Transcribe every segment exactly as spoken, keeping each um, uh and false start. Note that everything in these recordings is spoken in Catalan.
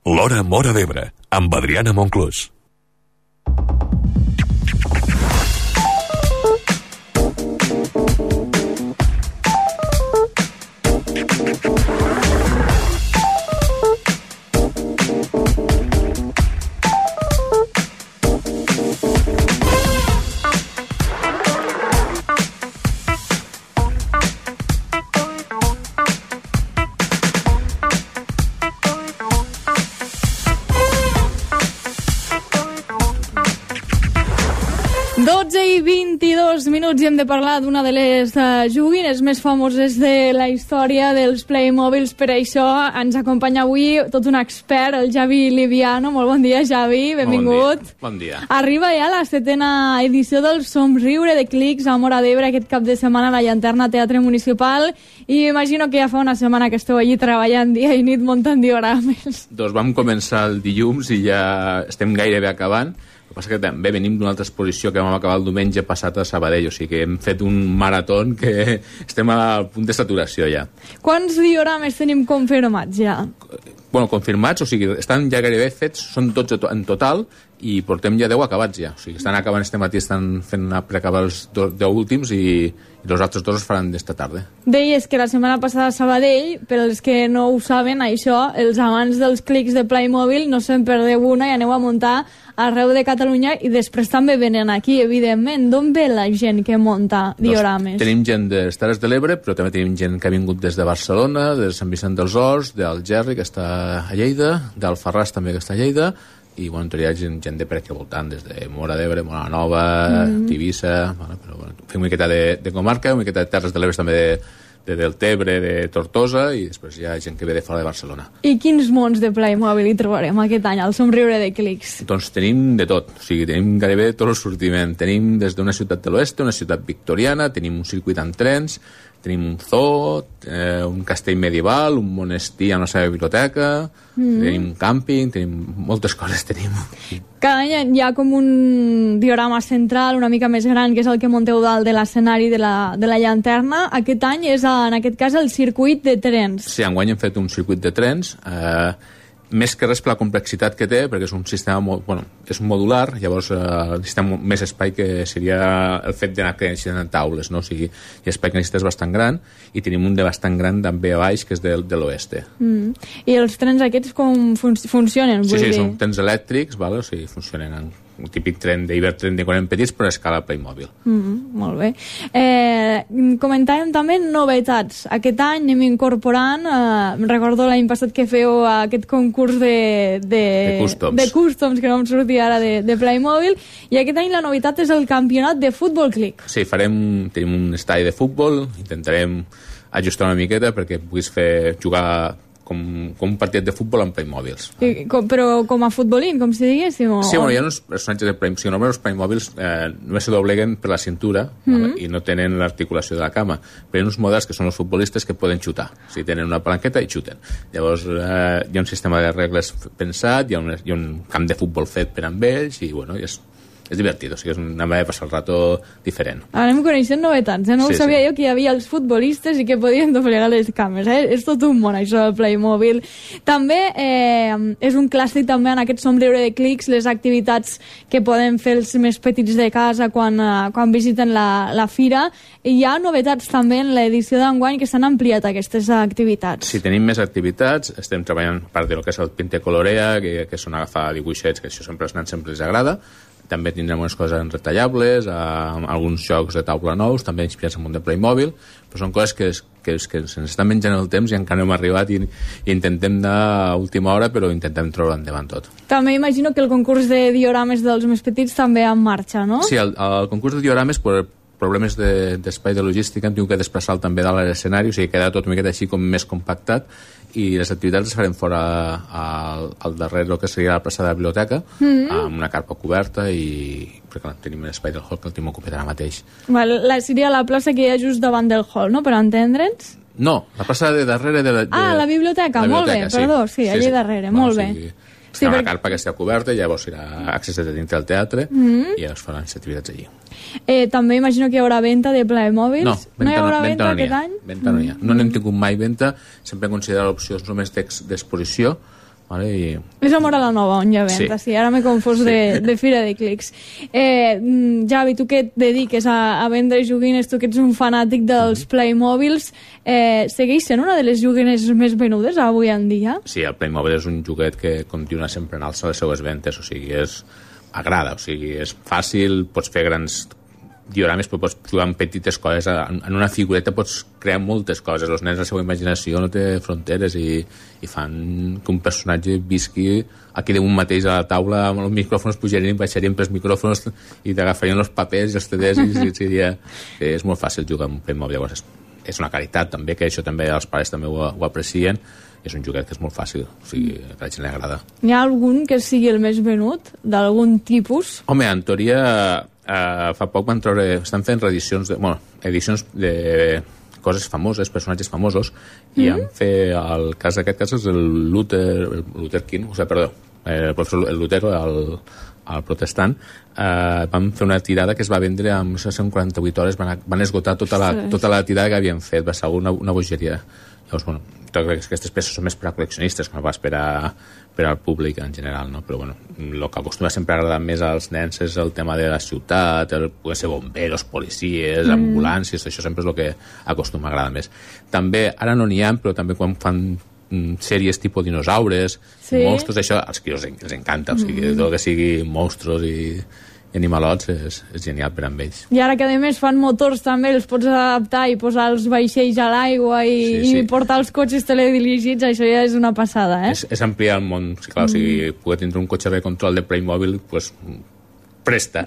L'Hora Móra d'Ebre, amb Adriana Monclús. dotze i vint-i-dos minuts i hem de parlar d'una de les uh, joguines més famoses de la història dels Playmobils. Per això ens acompanya avui tot un expert, el Javi Liviano. Molt bon dia, Javi, benvingut. Bon dia. Bon dia. Arriba ja la setena edició del Somriure de Clics a Móra d'Ebre aquest cap de setmana a la Llanterna Teatre Municipal, i imagino que ja fa una setmana que esteu allí treballant dia i nit muntant diorames. Doncs vam començar el dilluns i ja estem gairebé acabant. El que passa que també venim d'una altra exposició que vam acabar el diumenge passat a Sabadell, o sigui que hem fet un marató que estem al punt de saturació ja. Quants diorames tenim confirmats ja? Bueno, confirmats, o sigui, estan ja gairebé fets, són dotze en total, i portem ja deu acabats ja. O sigui, estan acabant este matí, estan fent preacabar els deu últims i, i els altres dos es faran d'esta tarda. Deies que la setmana passada a Sabadell, per als que no ho saben, això, els amants dels clics de Playmobil no se'n perdeu una i aneu a muntar arreu de Catalunya, i després també venen aquí, evidentment. D'on ve la gent que munta diorames? Doncs tenim gent de les Terres de l'Ebre, però també tenim gent que ha vingut des de Barcelona, de Sant Vicent dels Horts, d'Algerri, que està a Lleida, d'Alfarràs també, que està a Lleida, i bueno, hi ha gent, gent de per aquí voltant, des de Móra d'Ebre, Móra Nova, mm. Tivissa, bueno, però bueno, fem una miqueta de, de comarca, una miqueta de Terres de l'Ebre també de, de Deltebre, de Tortosa, i després hi ha gent que ve de fora de Barcelona. I quins mons de Playmobil hi trobarem aquest any al Somriure de Clics? Doncs tenim de tot, o sigui, tenim gairebé tot el sortiment. Tenim des d'una ciutat de l'oest, una ciutat victoriana, tenim un circuit amb trens, tenim un zoo, eh, un castell medieval, un monestir amb la seva biblioteca, mm. tenim un càmping, tenim moltes coses, tenim. Cada any hi ha com un diorama central una mica més gran, que és el que munteu dalt de l'escenari de, la, de la llanterna. Aquest any és, en aquest cas, el circuit de trens. Sí, enguany hem fet un circuit de trens, eh, més que res per la complexitat que té, perquè és un sistema molt, bueno, és modular, llavors eh, necessitem més espai, que seria el fet d'anar creixent en taules, no? O sigui, l'espai que necessites és bastant gran, i tenim un de bastant gran també a baix, que és de, de l'oeste. Mm. I els trens aquests com fun funcionen? Sí, sí, dir? són trens elèctrics, vale? O sigui, funcionen en un típic tren d'Ibertren de quan eren petits, però a escala Playmobil. Mm, molt bé. Eh, comentàvem també novetats. Aquest any anem incorporant, eh, recordo l'any passat que feu aquest concurs de, de, de, customs. de customs, que no em sortia ara, de, de Playmobil, i aquest any la novetat és el campionat de futbol clic. Sí, farem, tenim un estadi de futbol, intentarem ajustar una miqueta perquè puguis fer jugar com, com un partit de futbol amb Playmobils. I, com, però com a futbolín, com si diguéssim? O... Sí, bueno, hi ha uns personatges de Playmobils. Si normalment els Playmobils eh, només se dobleguen per la cintura, mm -hmm. i no tenen l'articulació de la cama. Però hi ha uns models que són els futbolistes que poden xutar. O sigui, tenen una palanqueta i xuten. Llavors eh, hi ha un sistema de regles pensat, hi ha un, hi ha un camp de futbol fet per amb ells, i bueno, i és... és divertit, o sigui, és una manera de passar el rato diferent. Ara anem coneixent novetats, eh? No sí, ho sabia sí. jo, que hi havia els futbolistes i que podien doblegar les cames, eh? És tot un món, això del Playmobil. També eh, és un clàssic també en aquest Somriure de Clics, les activitats que poden fer els més petits de casa quan, eh, quan visiten la, la fira. I hi ha novetats també en l'edició d'enguany que s'han ampliat aquestes activitats. Sí, tenim més activitats, estem treballant a part del que és el Pinte Colorea, que, que són agafar dibuixets, que això sempre als nens sempre els agrada. També tindrem unes coses retallables, eh, alguns jocs de taula nous, també inspirats en un de Playmobil, però són coses que, que, que se'ns estan menjant el temps i encara no hem arribat, i, i intentem anar a última hora, però intentem treure endavant tot. També imagino que el concurs de diorames dels més petits també en marxa, no? Sí, el, el concurs de diorames, per problemes d'espai de, de logística, hem tingut que desplaçar també dalt a l'escenari, o sigui, queda tot una miqueta així com més compactat, i les activitats les farem fora al, al darrere del que seria la plaça de la biblioteca, mm-hmm. amb una carpa coberta, i perquè tenim un espai del hall que el tenim ocupat ara mateix. Val, la, seria la plaça que hi ha just davant del hall, no?, per entendre'ns? No, la plaça de darrere de la... De, ah, la biblioteca, la biblioteca, molt bé, sí. Perdó, sí, allà sí, sí. darrere, bueno, molt bé. Sí. Sí, una perquè... carpa que està coberta, llavors serà accés de dintre del teatre, mm-hmm. i llavors faran les activitats allí. Eh, també imagino que hi haurà venda de Playmobils. No, venta, no hi haurà no, venta, venta no aquest ha. any? Venta no hi ha. No n'hem tingut mai venta, sempre hem considerat l'opció només d'exposició, Vale? I... És a Móra la Nova, on hi ha venda, sí. sí ara m'he confós sí. de, de Fira de Clics. Eh, Javi, tu que et dediques a, a vendre joguines, tu que ets un fanàtic dels mm-hmm. Playmobils, eh, segueix sent una de les joguines més venudes avui en dia? Sí, el Playmobil és un joguet que continua sempre en alça les seues ventes, o sigui, és... agrada, o sigui, és fàcil, pots fer grans diorames, però pots jugar amb petites coses, en, en una figureta pots crear moltes coses, els nens, la seva imaginació no té fronteres i, i fan que un personatge visqui aquí damunt mateix a la taula, amb els micròfons pujarien, baixarien pels micròfons i t'agafarien els papers i els C Ds i, i, seria... és molt fàcil jugar amb un Playmobil, llavors és, és una caritat també, que això també els pares també ho, ho aprecien. És un joguet que és molt fàcil, o sigui, a la gent li agrada. Hi ha algun que sigui el més venut, d'algun tipus? Home, en teoria, eh, fa poc van treure... Estan fent reedicions, de, bueno, edicions de coses famoses, personatges famosos, i mm-hmm. han fet, el cas d'aquest cas és el Luther, el Luther King, o sigui, perdó, el professor el Luther, el, el protestant, eh, van fer una tirada que es va vendre en, no sé, en quaranta-vuit hores, van, van esgotar tota la, tota la tirada que havien fet, va ser una, una bogeria. Llavors, bueno, aquestes peces són més per a col·leccionistes, que no pas per, a, per al públic en general, no? Però bueno, el que acostuma sempre a agradar més als nens és el tema de la ciutat, el poder ser bomberos, policies, mm. ambulàncies, això sempre és el que acostuma a agradar més. També, ara no n'hi ha, però també quan fan mm, sèries tipus dinosaures, sí. monstres, això als que els, els encanta, o sigui, mm. tot que sigui monstros i... i animalots és, és genial per amb ells. I ara que a més fan motors també, els pots adaptar i posar els vaixells a l'aigua i, sí, sí. i portar els cotxes teledirigits, això ja és una passada, eh? És, és ampliar el món, sí, clar, mm. o sigui, poder tindre un cotxe de control de Playmobil, pues, presta.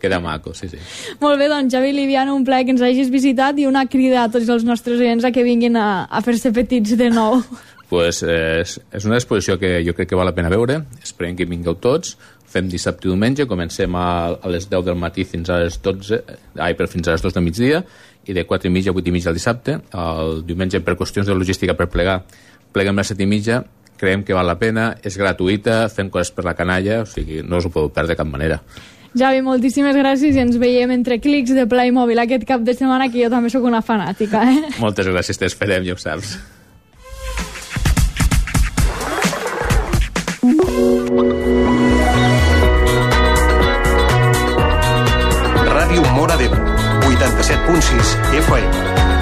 Queda maco, sí, sí. Molt bé, doncs, Javi Liviano, un plaer que ens hagis visitat i una crida a tots els nostres oients a que vinguin a, a fer-se petits de nou. Pues, eh, és, és una exposició que jo crec que val la pena veure, esperem que vingueu tots. Fem dissabte i diumenge, comencem a, a les deu del matí fins a les dotze, ai, per fins a les dos del migdia, i de quatre i mitja a vuit i mitja el dissabte. El diumenge, per qüestions de logística per plegar, pleguem a les set i mitja, creiem que val la pena, és gratuïta, fem coses per la canalla, o sigui, no us ho podeu perdre de cap manera. Javi, moltíssimes gràcies i ens veiem entre clics de Playmobil aquest cap de setmana, que jo també sóc una fanàtica, eh? Moltes gràcies, t'esperem, ja ho saps. Ràdio Móra d'Ebre, vuitanta-set punt sis F M.